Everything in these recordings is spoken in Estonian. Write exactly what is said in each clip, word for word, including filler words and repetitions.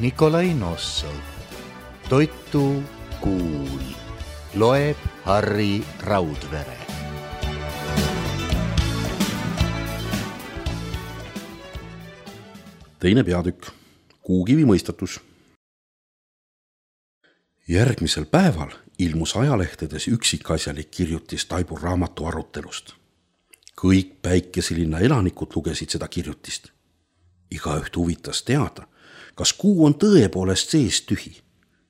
Nikolai Nossov. Toitu kuul. Loeb Harri Raudvere. Teine peatükk. Kuukivi mõistatus. Järgmisel päeval ilmus ajalehtedes üksikasjalik kirjutis Taibu raamatu arutelust. Kõik Päikeselinna elanikud lugesid seda kirjutist. Igaüht huvitas teada, kas kuu on tõepoolest sees tühi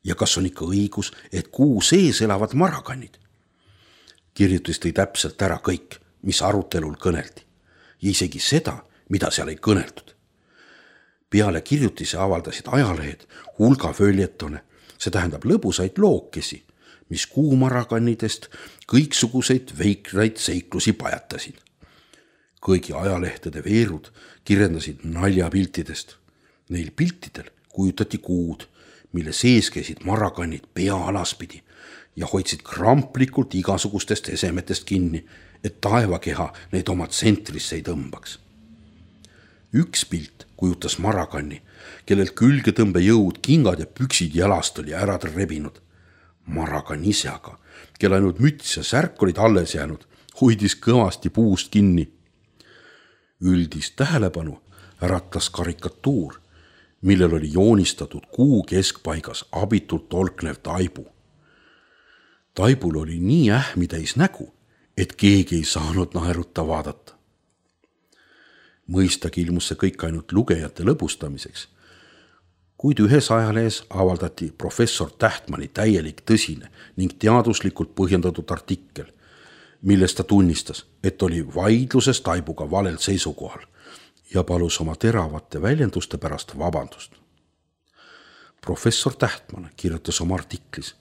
ja kas on ikka õigus, et kuu sees elavad marakannid. Kirjutis tõi täpselt ära kõik, mis arutelul kõneldi ja isegi seda, mida seal ei kõneldud. Peale kirjutise avaldasid ajalehed hulga följetone, see tähendab lõbusaid lookesi, mis kuumarakannidest kõiksuguseid veikraid seiklusi pajatasid. Kõigi ajalehtede veerud kirjendasid naljapiltidest. Neil piltidel kujutati kuud, mille sees käisid marakannid pea alaspidi ja hoidsid kramplikult igasugustest esemetest kinni, et taevakeha neid oma tsentrisse ei tõmbaks. Üks pilt kujutas marakanni, kellel külgetõmbejõud, kingad ja püksid jalast oli ära rebinud. Marakann ise aga, kel ainult müts ja särk olid alles jäänud, hoidis kõvasti puust kinni. Üldist tähelepanu äratas karikatuur, millel oli joonistatud kuu keskpaigas abitult tolknev Taibu. Taibul oli nii ähmitäis nägu, et keegi ei saanud naeruta vaadata. Mõistagi ilmus see kõik ainult lugejate lõbustamiseks, kuid ühes ajalehes avaldati professor Tähtmani täielik tõsine ning teaduslikult põhjendatud artikkel, milles ta tunnistas, et oli vaidluses Taibuga valel seisukohal ja palus oma teravate väljenduste pärast vabandust. Professor Tähtman kirjutas oma artiklis,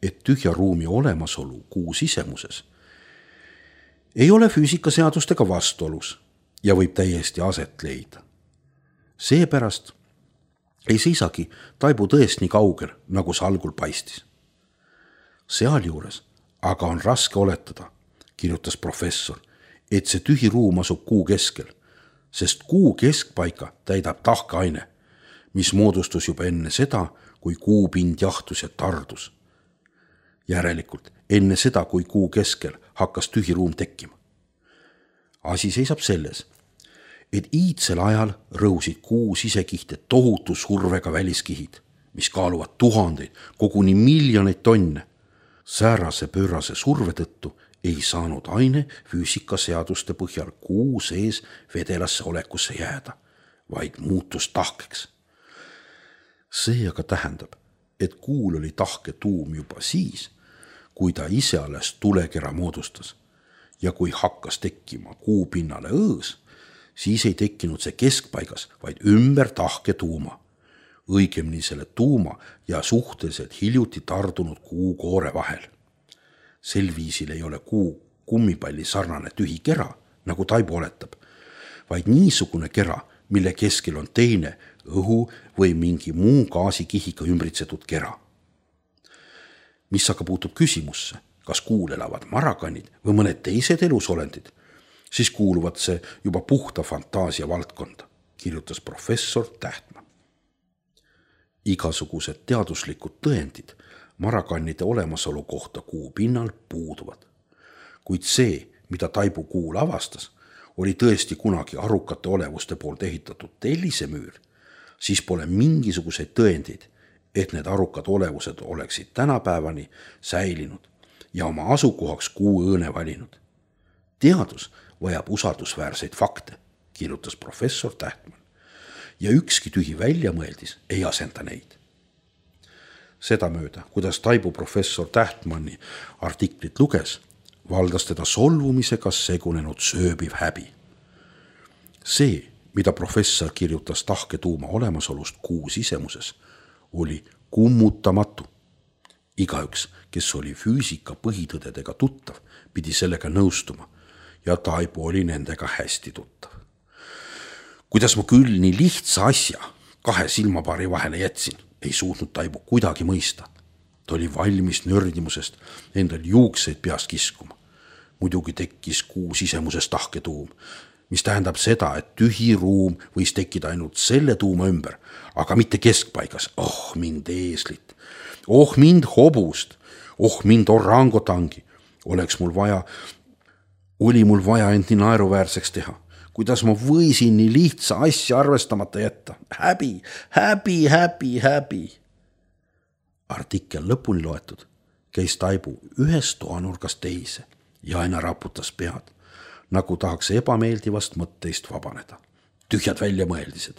et tühja ruumi olemasolu kuu sisemuses ei ole füüsikaseadustega vastuolus ja võib täiesti aset leida. Seepärast ei seisagi Taibu tõest nii kaugel, nagu see algul paistis. Sealjuures aga on raske oletada, kirjutas professor, et see tühi ruum asub kuu keskel, sest kuu keskpaika täidab tahkeaine, mis moodustus juba enne seda, kui kuupind jahtus ja tardus. Järelikult enne seda, kui kuu keskel hakkas tühi ruum tekkima. Asi seisab selles, et iidsel ajal rõusid kuu sisekihte tohutu survega väliskihid, mis kaaluvad tuhandeid, koguni miljoneid tonne. Säärase pöörase surve tõttu ei saanud aine füüsikaseaduste põhjal kuu sees vedelasse olekusse jääda, vaid muutus tahkeks. See aga tähendab, et kuul oli tahke tuum juba siis, kui ta ise alles tulekera moodustas ja kui hakkas tekkima kuu pinnale õõs, siis ei tekkinud see keskpaigas, vaid ümber tahke tuuma. Õigemini selle tuuma ja suhteliselt hiljuti tardunud kuu koore vahel. Sel viisil ei ole kuu kummipalli sarnane tühi kera, nagu Taibu oletab, vaid niisugune kera, mille keskel on teine õhu või mingi muu gaasikihiga ümbritsetud kera. Mis aga puutub küsimusse, kas kuul elavad marakannid või mõned teised elusolendid, siis kuuluvad see juba puhta fantaasia valdkonda, kirjutas professor Tähtman. Igasugused teaduslikud tõendid marakannide olemasolu kohta kuu pinnal puuduvad. Kuid see, mida Taibu kuul avastas, oli tõesti kunagi arukate olevuste poolt ehitatud tellisemüür, siis pole mingisuguseid tõendeid, et need arukad olevused oleksid tänapäevani säilinud ja oma asukohaks kuu õõne valinud. Teadus vajab usaldusväärseid fakte, kirjutas professor Tähtman, ja ükski tühi väljamõeldis ei asenda neid. Sedamööda, kuidas Taibu professor Tähtmani artiklit luges, valdas teda solvumisega segunenud sööbiv häbi. See, mida professor kirjutas tahke tuuma olemasolust kuu sisemuses, oli kummutamatu. Igaüks, kes oli füüsika põhitõdedega tuttav, pidi sellega nõustuma ja Taibu oli nendega hästi tuttav. Kuidas ma küll nii lihtsa asja kahe silmapaari vahele jätsin, ei suutnud Taibu kuidagi mõista. Ta oli valmis nördimusest endal juukseid peast kiskuma. Muidugi tekkis kuu sisemuses tahketuum, mis tähendab seda, et tühi ruum võis tekkida ainult selle tuuma ümber, aga mitte keskpaigas. Oh mind eeslit, oh mind hobust, oh mind orangotangi. Oleks mul vaja, oli mul vaja end nii naeruväärseks teha. Kuidas ma võisin nii lihtsa asja arvestamata jätta? Häbi, häbi, häbi, häbi. Artikkel lõpuni loetud, käis Taibu ühest toanurgast teise ja aina raputas pead, nagu tahaks ebameeldivast mõtteist vabaneda. Tühjad väljamõeldised,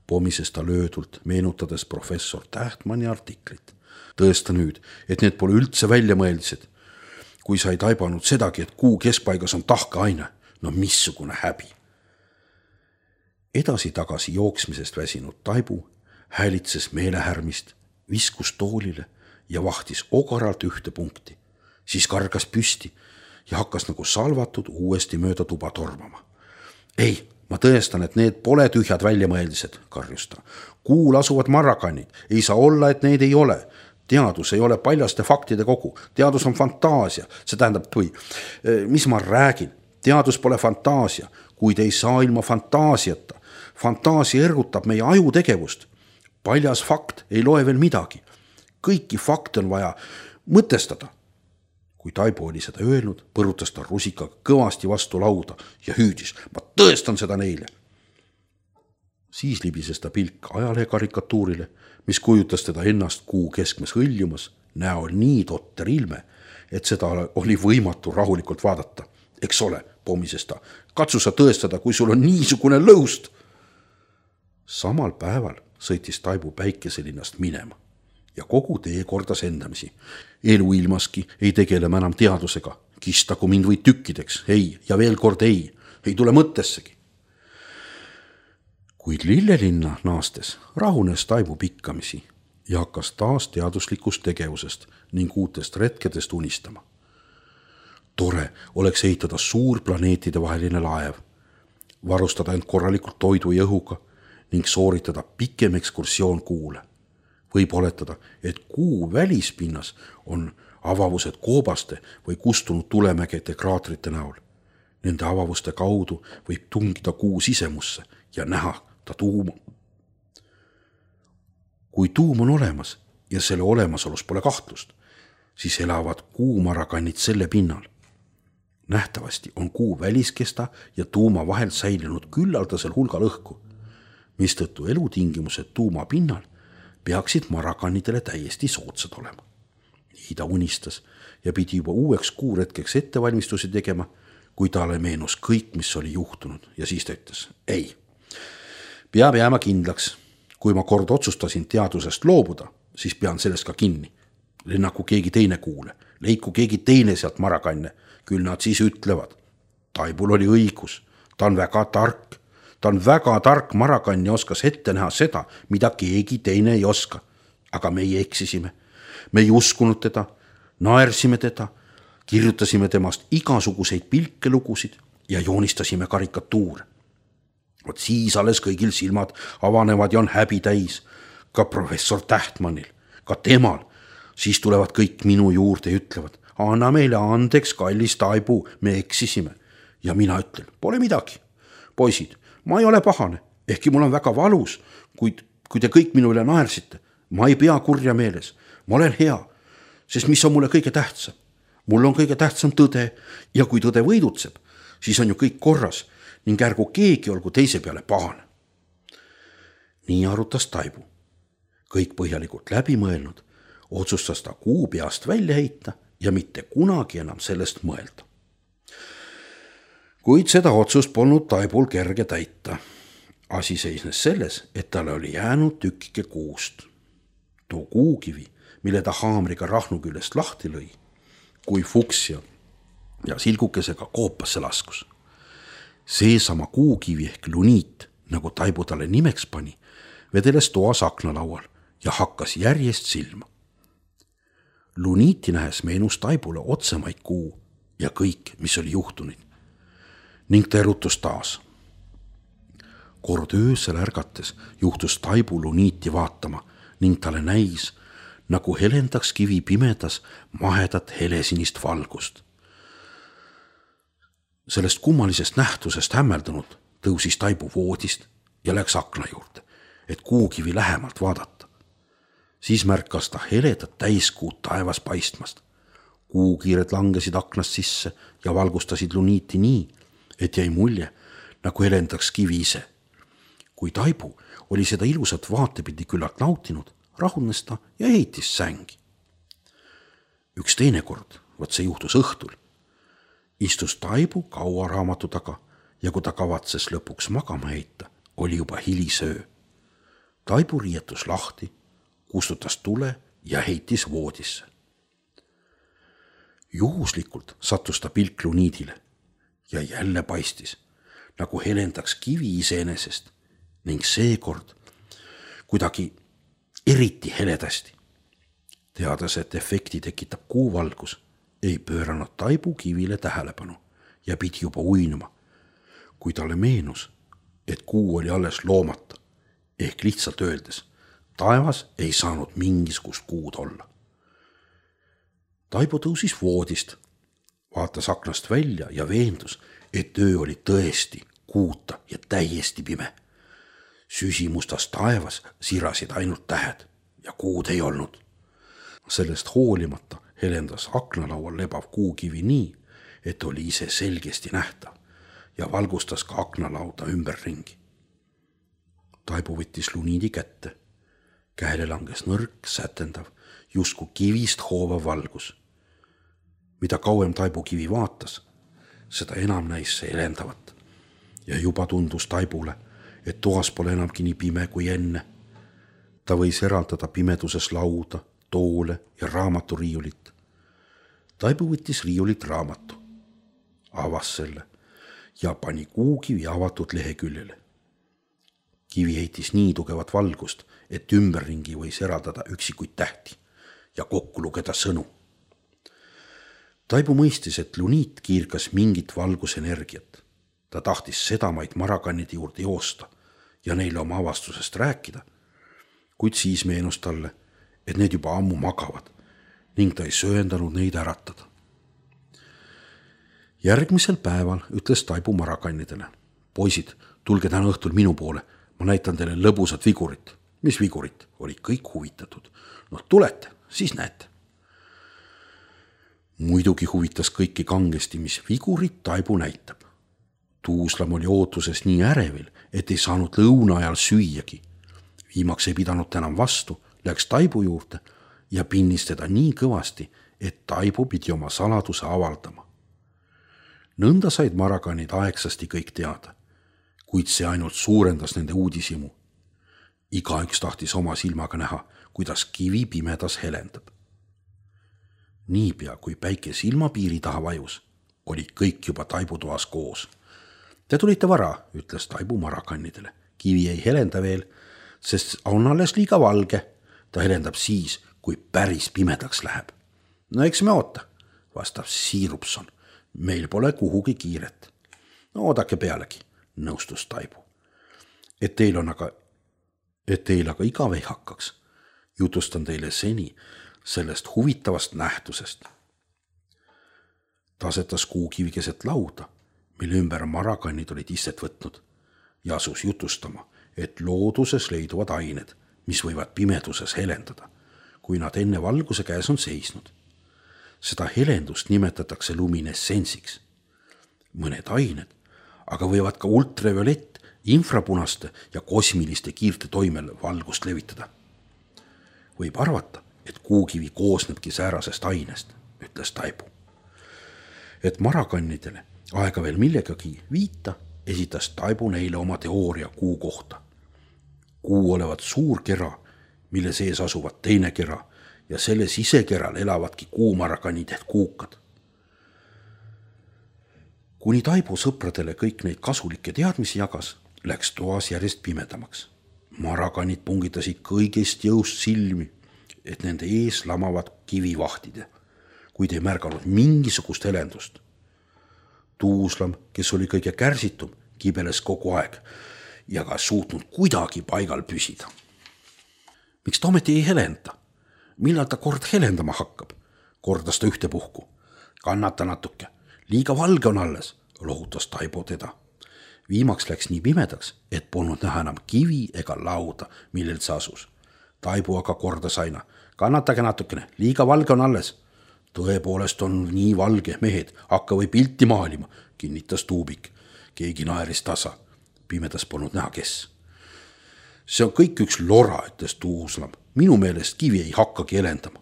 pomises ta löödult, meenutades professor Tähtmani artiklit. Tõesta nüüd, et need pole üldse väljamõeldised. Kui sa ei taibanud sedagi, et kuu keskpaigas on tahkeaine, no missugune häbi. Edasi-tagasi jooksmisest väsinud Taibu häälitses meelehärmist, viskus toolile ja vahtis ogaralt ühte punkti. Siis kargas püsti ja hakkas nagu salvatud uuesti mööda tuba tormama. Ei, ma tõestan, et need pole tühjad väljamõeldised, karjus ta. Kuul asuvad marrakannid, ei saa olla, et neid ei ole. Teadus ei ole paljaste faktide kogu, teadus on fantaasia, see tähendab, või mis ma räägin, teadus pole fantaasia, kuid ei saa ilma fantaasiata. Fantaasia ergutab meie ajutegevust. Paljas fakt ei loe veel midagi. Kõiki fakte on vaja mõtestada. Kui Taibu oli seda öelnud, põrutas ta rusikaga kõvasti vastu lauda ja hüüdis, ma tõestan seda neile. Siis libises ta pilk ajalehe karikatuurile, mis kujutas teda ennast kuu keskmes hõljumas, näol nii totter ilme, et seda oli võimatu rahulikult vaadata. Eks ole, pomises ta, katsu sa tõestada, kui sul on niisugune lõust. Samal päeval sõitis Taibu päikeselinnast minema ja kogu tee kordas endamisi. Elu ilmaski ei tegele enam teadusega, kistagu mind või tükkideks, ei ja veel kord ei, ei tule mõttessegi. Kuid Lillelinna naastes rahunes Taibu pikkamisi ja hakkas taas teaduslikust tegevusest ning uutest retkedest unistama. Tore oleks ehitada suur planeetide vaheline laev, varustada end korralikult toidu ja õhuga ning sooritada pikem ekskursioon kuule. Võib oletada, et kuu välispinnas on avavused koobaste või kustunud tulemägede kraatrite näol. Nende avavuste kaudu võib tungida kuu sisemusse ja näha ta tuuma. Kui tuum on olemas ja selle olemasolus pole kahtlust, siis elavad kuumarakannid selle pinnal. Nähtavasti on kuu väliskesta ja tuuma vahel säilinud küllaldasel hulgal õhku, mistõttu elutingimused tuuma pinnal peaksid marakannidele täiesti soodsad olema. Nii ta unistas ja pidi juba uueks kuuretkeks ettevalmistusi tegema, kui talle meenus kõik, mis oli juhtunud ja siis ta ütles, ei, peab jääma kindlaks. Kui ma kord otsustasin teadusest loobuda, siis pean sellest ka kinni. Lennaku keegi teine kuule, leiku keegi teine sealt marakanne, küll nad siis ütlevad. Taibul oli õigus, ta on väga tark. Ta on väga tark marakann ja oskas ette näha seda, mida keegi teine ei oska. Aga meie eksisime. Me ei uskunud teda, naersime teda, kirjutasime temast igasuguseid pilkelugusid ja joonistasime karikatuure. Vot siis alles kõigil silmad avanevad ja on häbi täis. Ka professor Tähtmanil, ka temal. Siis tulevad kõik minu juurde ja ütlevad, anna meile andeks, kallis Taibu, me eksisime. Ja mina ütlen, pole midagi. Poisid, ma ei ole pahane, ehkki mul on väga valus, kuid kui te kõik minu üle naersite, ma ei pea kurja meeles. Ma olen hea, sest mis on mulle kõige tähtsam? Mul on kõige tähtsam tõde ja kui tõde võidutseb, siis on ju kõik korras ning ärgu keegi olgu teise peale pahane. Nii arutas Taibu. Kõik põhjalikult läbi mõelnud, otsustas ta kuu peast välja heita ja mitte kunagi enam sellest mõelda. Kuid seda otsust polnud Taibul kerge täita. Asi seisnes selles, et talle oli jäänud tükike kuust. Too kuukivi, mille ta haamriga rahnu küljest lahti lõi, kui fuksia ja silgukesega koopasse laskus. Seesama kuukivi ehk luniit, nagu Taibu talle nimeks pani, vedeles toas aknalaual ja hakkas järjest silma. Luniiti nähes meenus Taibule otsemaid kuu ja kõik, mis oli juhtunud. Ning ta erutus taas. Kord öösel ärgates juhtus Taibu luniiti vaatama ning talle näis, nagu helendaks kivi pimedas mahedat helesinist valgust. sellest kummalisest nähtusest hämmeldunud tõusis Taibu voodist ja läks akna juurde, et kuukivi lähemalt vaadata. Siis märkas ta heledat täiskuud taevas paistmast. Kuukiired langesid aknast sisse ja valgustasid luniiti nii, et jäi mulje, nagu helendaks kivi ise. Kui Taibu oli seda ilusat vaatepildi küllalt nautinud, rahunes ta ja heitis sängi. Üks teine kord, võt see juhtus õhtul, istus Taibu kaua raamatu taga ja kui ta kavatses lõpuks magama heita, oli juba hilisöö. Taibu riietus lahti, kustutas tule ja heitis voodisse. Juhuslikult sattus ta pilk luniidile ja jälle paistis, nagu helendaks kivi iseenesest ning seekord kuidagi eriti heledasti. Teades, et efekti tekitab kuuvalgus, ei pööranud Taibu kivile tähelepanu ja pidi juba uinuma, kui talle meenus, et kuu oli alles loomata, ehk lihtsalt öeldes, taevas ei saanud mingisugust kuud olla. Taibu tõusis voodist, vaatas aknast välja ja veendus, et öö oli tõesti kuuta ja täiesti pime. Süsimustas taevas sirasid ainult tähed ja kuud ei olnud. Sellest hoolimata helendas aknalaual lebav kuukivi nii, et oli ise selgesti nähtav ja valgustas ka aknalauda ümberringi. Taibu võttis luniidi kätte. Käele langes nõrk, sätendav, justkui kivist hoovav valgus. Mida kauem Taibu kivi vaatas, seda enam näis see helendavat. Ja juba tundus Taibule, et toas pole enamgi nii pime kui enne. Ta võis eraldada pimeduses lauda, toole ja raamaturiiulit. Taibu võttis riiulit raamatu, avas selle ja pani kuukivi avatud leheküljele. Kivi heitis nii tugevat valgust, et ümberringi võis eraldada üksikuid tähti ja kokku lugeda sõnu. Taibu mõistis, et luniit kiirkas mingit valgusenergiat. Ta tahtis sedamaid marakannide juurde joosta ja neile oma avastusest rääkida, kuid siis meenus talle, et need juba ammu magavad ning ta ei sööndanud neid äratada. Järgmisel päeval ütles Taibu marakannidele. Poisid, tulge täna õhtul minu poole, ma näitan teile lõbusat vigurit. Mis vigurit? Olid kõik huvitatud. No tulete, siis näete. Muidugi huvitas kõiki kangesti, mis vigurit Taibu näitab. Tuuslam oli ootuses nii ärevil, et ei saanud lõuna ajal süüagi. Viimaks ei pidanud enam vastu, läks Taibu juurde ja pinnis teda nii kõvasti, et Taibu pidi oma saladuse avaldama. Nõnda said marakanid aegsasti kõik teada, kuid see ainult suurendas nende uudishimu. Igaüks tahtis oma silmaga näha, kuidas kivi pimedas helendab. Niipea, kui päike silmapiiri taha vajus, olid kõik juba Taibu toas koos. Te tulite vara, ütles Taibu marakannidele. Kivi ei helenda veel, sest on alles liiga valge. Ta helendab siis, kui päris pimedaks läheb. No eks me oota, vastab Siirupson. Meil pole kuhugi kiiret. No oodake pealegi, nõustus Taibu. Et teil on aga, et teil aga igav ei hakkaks, jutustan teile seni sellest huvitavast nähtusest. Ta asetas kuukivi keset lauda, mille ümber marakannid olid istet võtnud ja asus jutustama, et looduses leiduvad ained, mis võivad pimeduses helendada, kui nad enne valguse käes on seisnud. Seda helendust nimetatakse luminessensiks. Mõned ained, aga võivad ka ultraviolett, infrapunaste ja kosmiliste kiirte toimel valgust levitada. Võib arvata, et kuukivi koosnebki säärasest ainest, ütles Taibu. Et marakannidele aega veel millegagi viita, esitas Taibu neile oma teooria kuu kohta. Kuu olevat suur kera, mille sees asuvad teine kera ja selle sisekeral elavadki kuumarakanid ehk kuukad. Kuni Taibu sõpradele kõik neid kasulikke teadmisi jagas, läks toas järjest pimedamaks. Marakanid pungitasid kõigest jõust silmi, et nende ees lamavad kivivahtid, kuid ei märganud mingisugust helendust. Tuuslam, kes oli kõige kärsitum, kibeles kogu aeg ja ka suutnud kuidagi paigal püsida. Miks ta ometi ei helenda? Millal ta kord helendama hakkab? Kordas ta ühtepuhku. Kannata natuke. Liiga valge on alles. lohutas Taibo teda. Viimaks läks nii pimedaks, et polnud näha enam kivi ega lauda, millelt see asus. Taibo aga kordas aina. Kannatage natukene, liiga valge on alles. Tõepoolest on nii valge, mehed, hakka või pilti maalima, kinnitas Tuubik. Keegi naeris tasa. Pimedas polnud näha, kes. See on kõik üks lora, ütles Tuuslam. Minu meelest kivi ei hakkagi helendama.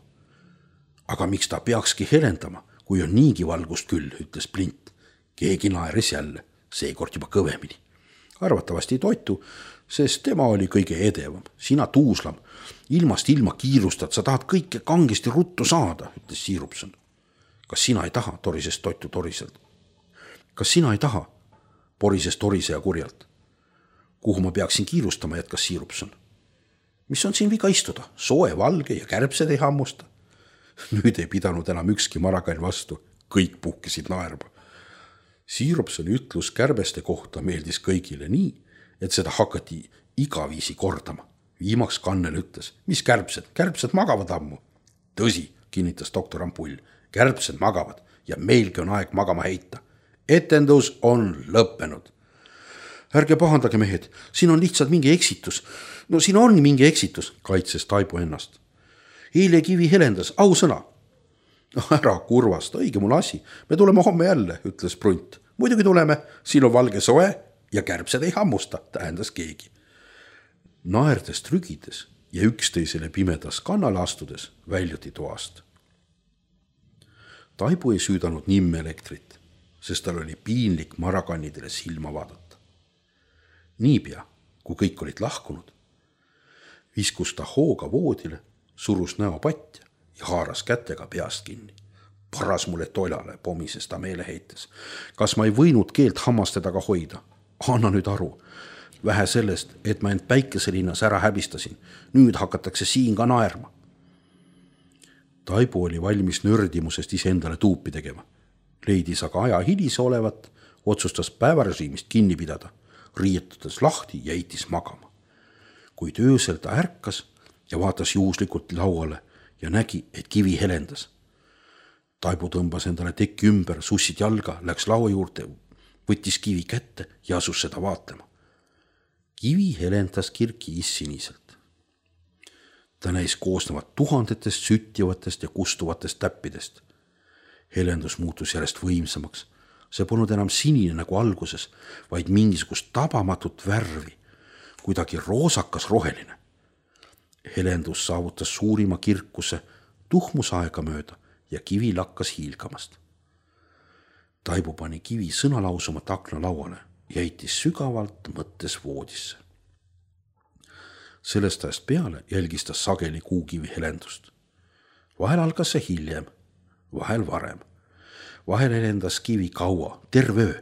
Aga miks ta peakski helendama, kui on niigi valgust küll, ütles Plint. Keegi naeris jälle, seekord juba kõvemini. Arvatavasti toitu, sest tema oli kõige edevam. Sina, Tuuslam, ilmast ilma kiirustad, sa tahad kõike kangesti ruttu saada, ütles Siirupson. Kas sina ei taha, torises toitu toriselt? Kas sina ei taha, porises torise ja kurjalt? Kuhu ma peaksin kiirustama, jätkas Siirupson. Mis on siin viga istuda? Soe, valge ja kärbsed ei hammusta. Nüüd ei pidanud enam ükski marakann vastu. Kõik puhkesid naerma. Siirupsoni ütlus kärbeste kohta meeldis kõigile nii, et seda hakati igaviisi kordama. Viimaks Kannel ütles, mis kärbsed? Kärbsed magavad ammu. Tõsi, kinnitas doktor Ampull. Kärbsed magavad ja meilgi on aeg magama heita. Etendus on lõppenud. Ärge pahandage, mehed, siin on lihtsalt mingi eksitus. No siin on mingi eksitus, kaitses Taibo ennast. Eile kivi helendas, au sõna. No ära kurvasta, õige mul asi. Me tuleme homme jälle, ütles Prunt. Muidugi tuleme, siin on valge soe ja kärbsed ei hammusta, tähendas keegi. Naerdes trügides ja üksteisele pimedas kannale astudes väljuti toast. Taibo ei süüdanud nimme elektrit, sest tal oli piinlik marakannidele silma vaadata. Niipea, kui kõik olid lahkunud, viskus ta hooga voodile, surus näo patja ja haaras kätega peast kinni. Paras mulle toilale, pomises ta meeleheites. Kas ma ei võinud keelt hammastega hoida? Anna nüüd aru. Vähe sellest, et ma end päikeselinnas ära häbistasin. Nüüd hakatakse siin ka naerma. Taibo oli valmis nördimusest iseendale tuupi tegema. Leidis aga aja hilise olevat, otsustas päevarežiimist kinni pidada. Riietudes lahti ja eitis magama. Kuid öösel ta ärkas ja vaatas juhuslikult lauale ja nägi, et kivi helendas. Taibo tõmbas endale tekki ümber, sussid jalga, läks laua juurde, võttis kivi kätte ja asus seda vaatama. Kivi helendas kirkiis siniselt. Ta näis koosnevat tuhandetest süttivatest ja kustuvatest täppidest. Helendus muutus järjest võimsamaks. See polnud enam sinine nagu alguses, vaid mingisugust tabamatut värvi, kuidagi roosakas roheline. Helendus saavutas suurima kirkuse tuhmusaega mööda ja kivi lakkas hiilgamast. Taibo pani kivi sõnalausumat akna lauale ja heitis sügavalt mõttes voodisse. Sellest ajast peale jälgis ta sageli kuukivi helendust. Vahel algas see hiljem, vahel varem. Vahel helendas kivi kaua, terve öö.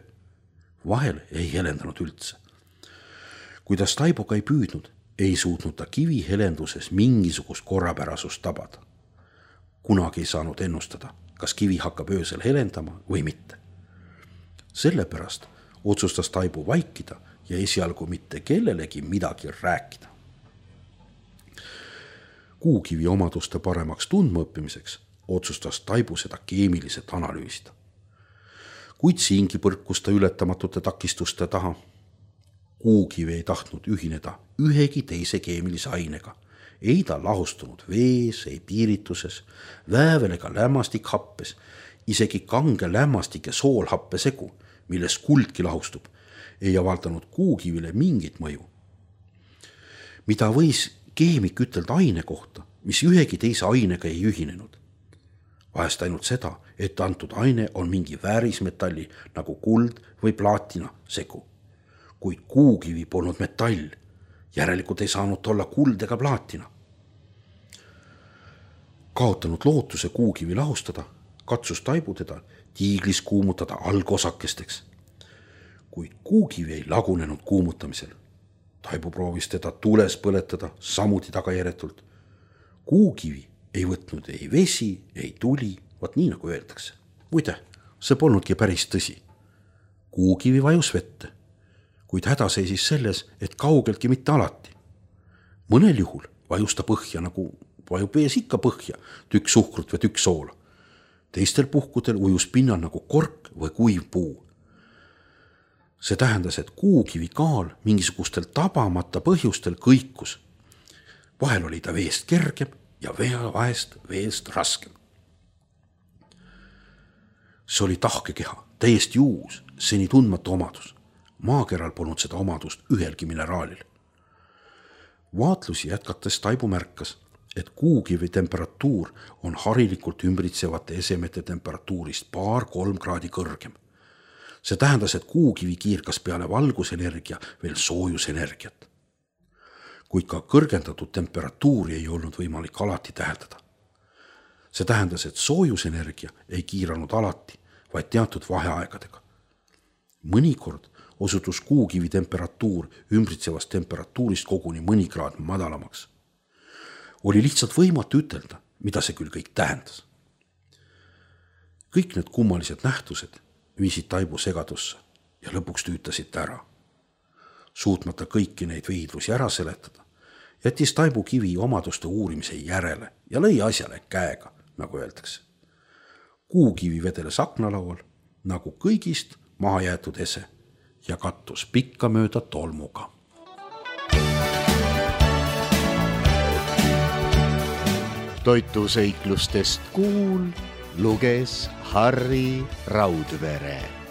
Vahel ei helendanud üldse. Kuidas Taiboga ei püüdnud, ei suutnud ta kivi helenduses mingisugust korrapärasust tabada. Kunagi ei saanud ennustada, kas kivi hakkab öösel helendama või mitte. Sellepärast otsustas Taibo vaikida ja esialgu mitte kellelegi midagi rääkida. Kuukivi omaduste paremaks tundmaõppimiseks otsustas Taibo seda keemiliselt analüüsida. Kuid siingi põrkus ta ületamatute takistuste taha. Kuukivi ei tahtnud ühineda ühegi teise keemilise ainega. Ei ta lahustunud vees, ei piirituses, väävel ega lämmastikhappes, isegi kange lämmastik ja soolhappe segu, milles kuldki lahustub, ei avaldanud kuukivile mingit mõju. Mida võis keemik ütelda aine kohta, mis ühegi teise ainega ei ühinenud? Vahest ainult seda, et antud aine on mingi väärismetalli nagu kuld või plaatina segu. Kuid kuukivi polnud metall, järelikult ei saanud olla kuld ega plaatina. Kaotanud lootuse kuukivi lahustada, katsus Taibo teda tiiglis kuumutada algosakesteks. Kuid kuukivi ei lagunenud kuumutamisel. Taibo proovis teda tules põletada samuti tagajärjetult. Kuukivi ei võtnud ei vesi, ei tuli, vaat nii nagu öeldakse. Muide, see polnudki päris tõsi. Kuukivi vajus vette, kuid häda seisis selles, et kaugeltki mitte alati. Mõnel juhul vajus ta põhja, nagu vajub vees ikka põhja, tükk suhkrut või tükk soola. Teistel puhkudel ujus pinnal nagu kork või kuiv puu. see tähendas, et kuukivi kaal mingisugustel tabamata põhjustel kõikus. Vahel oli ta veest kergem ja vahest veest raskem. See oli tahkekeha, täiesti uus, seni tundmatu omadus. Maakeral polnud seda omadust ühelgi mineraalil. Vaatlusi jätkates Taibu märkas, et kuukivi temperatuur on harilikult ümbritsevate esemete temperatuurist paar-kolm kraadi kõrgem. See tähendas, et kuukivi kiirkas peale valgusenergia veel soojusenergiat. Kuid ka kõrgendatud temperatuuri ei olnud võimalik alati täheldada. See tähendas, et soojusenergia ei kiiranud alati, vaid teatud vaheaegadega. Mõnikord osutus kuukivi temperatuur ümbritsevast temperatuurist koguni mõni kraad madalamaks. Oli lihtsalt võimatu ütelda, mida see küll kõik tähendas. Kõik need kummalised nähtused viisid Taibu segadusse ja lõpuks tüütasid ta ära. Suutmata kõiki neid veidlusi ära seletada, jättis Taibu kivi omaduste uurimise järele ja lõi asjale käega, nagu öeldakse. Kuukivi vedeles aknalaual, nagu kõigist maha jäetud ese ja kattus pikka mööda tolmuga. Toituseiklustest Kuul luges Harri Raudvere.